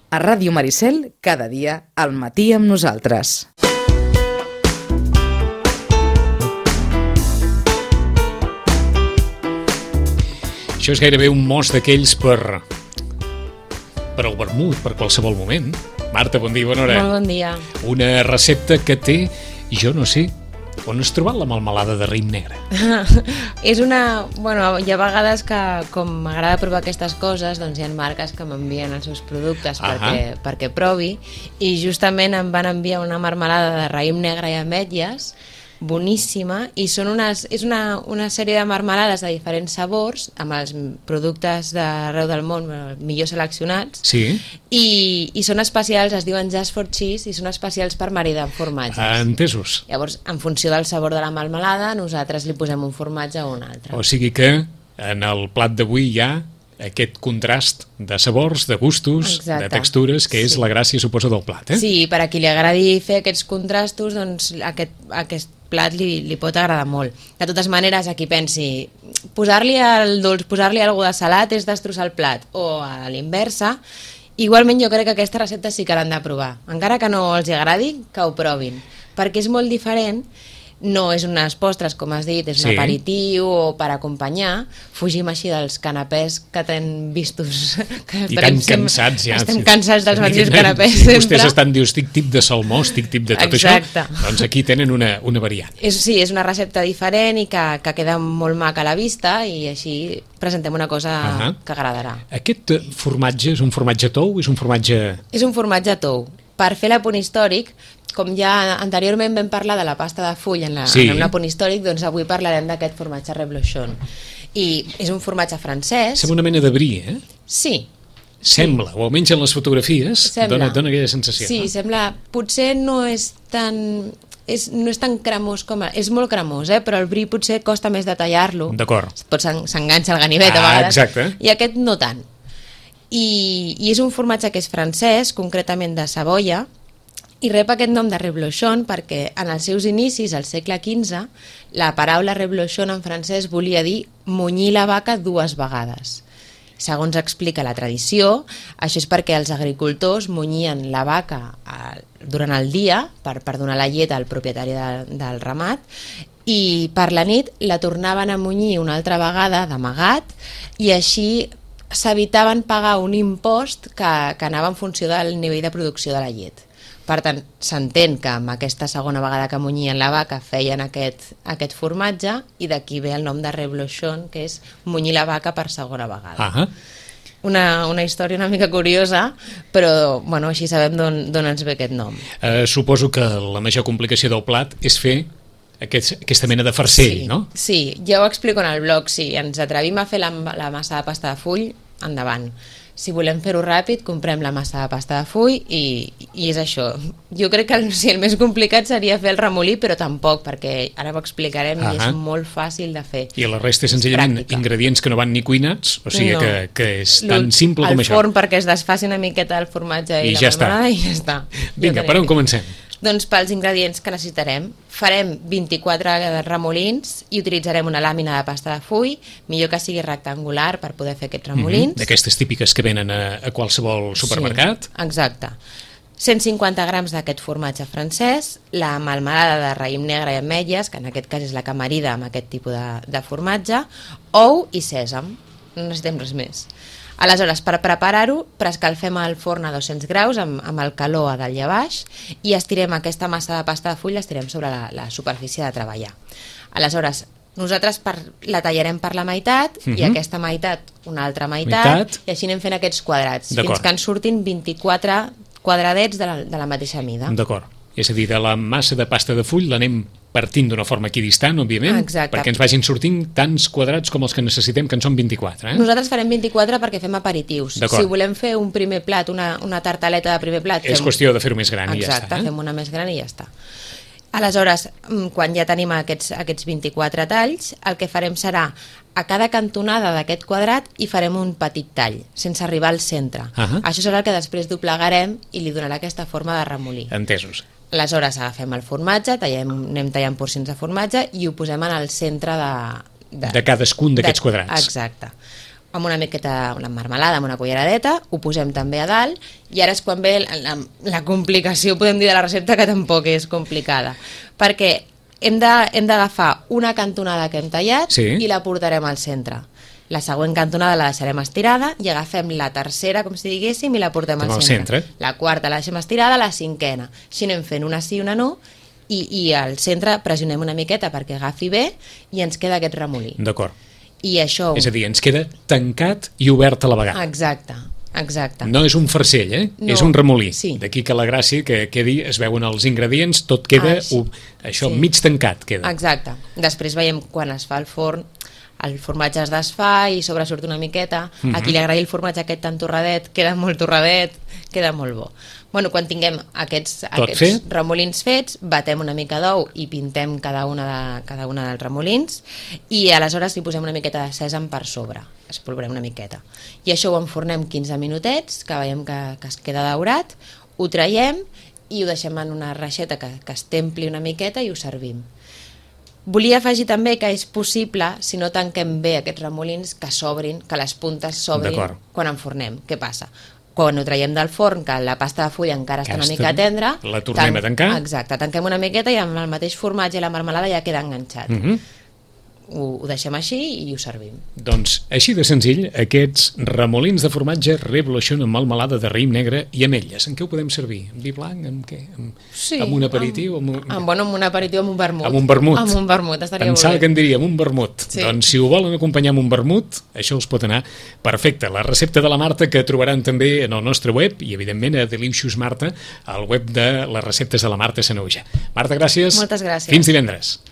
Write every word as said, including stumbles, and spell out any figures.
A Ràdio Maricel, cada dia, al matí amb nosaltres. Això és gairebé un mos d'aquells per... per al vermut, per qualsevol moment. Marta, bon dia, bona hora. Molt bon dia. Una recepta que té, jo no sé, on has trobat la melmelada de raïm negre? És una... Bueno, hi ha vegades que, com m'agrada provar aquestes coses, doncs hi ha marques que m'envien els seus productes perquè, perquè provi, i justament em van enviar una melmelada de raïm negre i ametlles, boníssima, i són unes, és una, una sèrie de marmelades de diferents sabors, amb els productes d'arreu del món millor seleccionats, sí. i, i són especials, es diuen Just for Cheese, i són especials per maridar amb formatges. Entesos. Llavors, en funció del sabor de la melmelada, nosaltres li posem un formatge o un altre. O sigui que en el plat d'avui hi ha aquest contrast de sabors, de gustos, exacte, de textures, que és sí. la gràcia, suposo, del plat, eh? Sí, per a qui li agradi fer aquests contrastos, doncs aquest, aquest plat li, li pot agradar molt. De totes maneres, a qui pensi, posar-li el dolç, posar-li alguna de salat és destrossar el plat, o a l'inversa, igualment jo crec que aquesta recepta sí que l'han de provar. Encara que no els agradi, que ho provin, perquè és molt diferent. No és unes postres, com has dit, és un sí. aperitiu o per acompanyar. Fugim així dels canapès que tenen vistos... Que I tan cansats ja. Estem cansats dels mateixos canapès sempre. Vostès estan, diu, estic tip de salmó, estic tip de tot Exacte. això. Doncs aquí tenen una, una variant. És, sí, és una recepta diferent i que, que queda molt maca a la vista, i així presentem una cosa uh -huh. que agradarà. Aquest formatge és un formatge tou? És un formatge... És un formatge tou. Per fer l'apunt històric, com ja anteriorment vam parlar de la pasta de full en, la, sí. en un apunt històric, doncs avui parlarem d'aquest formatge reblochon. I és un formatge francès. Sembla una mena de brie, eh? Sí. Sembla, sí. o almenys en les fotografies dona, dona aquella sensació. Sí, no? sembla... Potser no és tan... És, no és tan cremós com... A, és molt cremós, eh? Però el brie potser costa més de tallar-lo. D'acord. Pot s'enganxa al ganivet ah, a vegades. Exacte. I aquest no tant. I, I és un formatge que és francès, concretament de Savoia, i rep aquest nom de reblochon perquè en els seus inicis, al segle quinze, la paraula reblochon en francès volia dir munyir la vaca dues vegades. Segons explica la tradició, això és perquè els agricultors munyien la vaca eh, durant el dia per, per donar la llet al propietari de, del ramat, i per la nit la tornaven a munyir una altra vegada d'amagat, i així s'evitaven pagar un impost que, que anava en funció del nivell de producció de la llet. Per tant, s'entén que amb aquesta segona vegada que munyien la vaca feien aquest, aquest formatge, i d'aquí ve el nom de reblochon, que és munyir la vaca per segona vegada. Ah, una, una història una mica curiosa, però bueno, així sabem d'on ens ve aquest nom. Eh, suposo que la major complicació del plat és fer aquest, aquesta mena de farcell, sí, no? Sí, ja ho explico en el blog. Si ens atrevim a fer la, la massa de pasta de full, endavant. Si volem fer-ho ràpid, comprem la massa de pasta de full i, i és això. Jo crec que el, sí, el més complicat seria fer el remolí, però tampoc, perquè ara ho explicarem uh -huh. i és molt fàcil de fer. I la resta és senzillament és ingredients que no van ni cuinats, o sigui no. que, que és tan simple com això. El forn perquè es desfaci una miqueta el formatge i, I la ja està. I ja està. Vinga, per on comencem? Doncs pels ingredients que necessitarem, farem vint-i-quatre remolins i utilitzarem una làmina de pasta de full, millor que sigui rectangular per poder fer aquests remolins. Mm-hmm. D'aquestes típiques que venen a, a qualsevol supermercat. Sí, exacte. cent cinquanta grams d'aquest formatge francès, la melmelada de raïm negre i ametlles, que en aquest cas és la que marida amb aquest tipus de, de formatge, ou i sèsam, no necessitem res més. Aleshores, per preparar-ho, preescalfem el forn a dos-cents graus amb, amb el calor a dalt i a baix i estirem aquesta massa de pasta de full, l'estirem sobre la, la superfície de treballar. Aleshores, nosaltres per, la tallarem per la meitat uh-huh. i aquesta meitat una altra meitat, meitat, i així anem fent aquests quadrats, fins que en surtin vint-i-quatre quadradets de la, de la mateixa mida. D'acord. És a dir, de la massa de pasta de full l'anem partint d'una forma equidistant, òbviament, exacte, perquè ens vagin sortint tants quadrats com els que necessitem, que en són vint-i-quatre. Eh? Nosaltres farem vint-i-quatre perquè fem aperitius. Si volem fer un primer plat, una, una tartaleta de primer plat... És fem... qüestió de fer-ho més gran exacte, i ja està. Exacte, eh? Fem una més gran i ja està. Aleshores, quan ja tenim aquests, aquests vint-i-quatre talls, el que farem serà a cada cantonada d'aquest quadrat hi farem un petit tall, sense arribar al centre. Uh-huh. Això serà el que després doblegarem i li donarà aquesta forma de remolí. Entesos. Aleshores agafem el formatge, tallem, anem tallant porcions de formatge i ho posem en el centre de... De, de cadascun d'aquests quadrats. Exacte. amb una miqueta, una marmelada, amb una culleradeta, ho posem també a dalt, i ara és quan ve la, la, la complicació, podem dir, de la recepta, que tampoc és complicada, perquè hem de, hem d'agafar una cantonada que hem tallat sí. i la portarem al centre. La següent cantonada la deixarem estirada i agafem la tercera, com si diguéssim, i la portem al centre. centre. La quarta la deixem estirada, la cinquena. Així anem fent una sí, una no, i, i al centre pressionem una miqueta perquè agafi bé i ens queda aquest remolí. D'acord. I això... És a dir, ens queda tancat i obert a la vegada. Exacte, exacte. No és un farcell, eh? No, és un remolí. sí. D'aquí que la gràcia que quedi, es veuen els ingredients, tot queda, Ah, sí. u, això, Sí. mig tancat queda. Exacte. Després veiem quan es fa el forn, el formatge es desfà i sobresurt una miqueta. Mhm. A qui li agradi el formatge aquest tan torradet, queda molt torradet, queda molt bo. Bueno, quan tinguem aquests, Tot aquests fet. remolins fets, batem una mica d'ou i pintem cada una, de, cada una dels remolins, i aleshores li posem una miqueta de sèsam per sobre, espolvorem una miqueta. I això ho enfornem quinze minutets, que veiem que, que es queda daurat, ho traiem i ho deixem en una reixeta que, que es templi una miqueta i ho servim. Volia afegir també que és possible, si no tanquem bé aquests remolins, que s'obrin, que les puntes s'obrin D'acord. quan enfornem. Què passa? Quan ho traiem del forn, que la pasta de fulla encara està una Aquesta, mica tendra... la tornem a tancar. Exacte, tanquem una miqueta i amb el mateix formatge i la marmelada ja queda enganxat. Mhm. Ho, ho deixem així i ho servim. Doncs, així de senzill, aquests remolins de formatge reblochon amb melmelada de raïm negre i ametlles. En què ho podem servir? En vi blanc? Amb què? Amb, Sí, amb un aperitiu? Amb, Amb, amb, bueno, amb un aperitiu, amb un vermut. Amb un vermut. Amb un vermut, estaria Pensava molt que bé. en diria, amb un vermut. Sí. Doncs si ho volen acompanyar amb un vermut, això us pot anar perfecte. La recepta de la Marta, que trobaran també en el nostre web, i evidentment a Delicious Marta, al web de les receptes de la Marta Sanaüja. Marta, gràcies. Moltes gràcies. Fins divendres.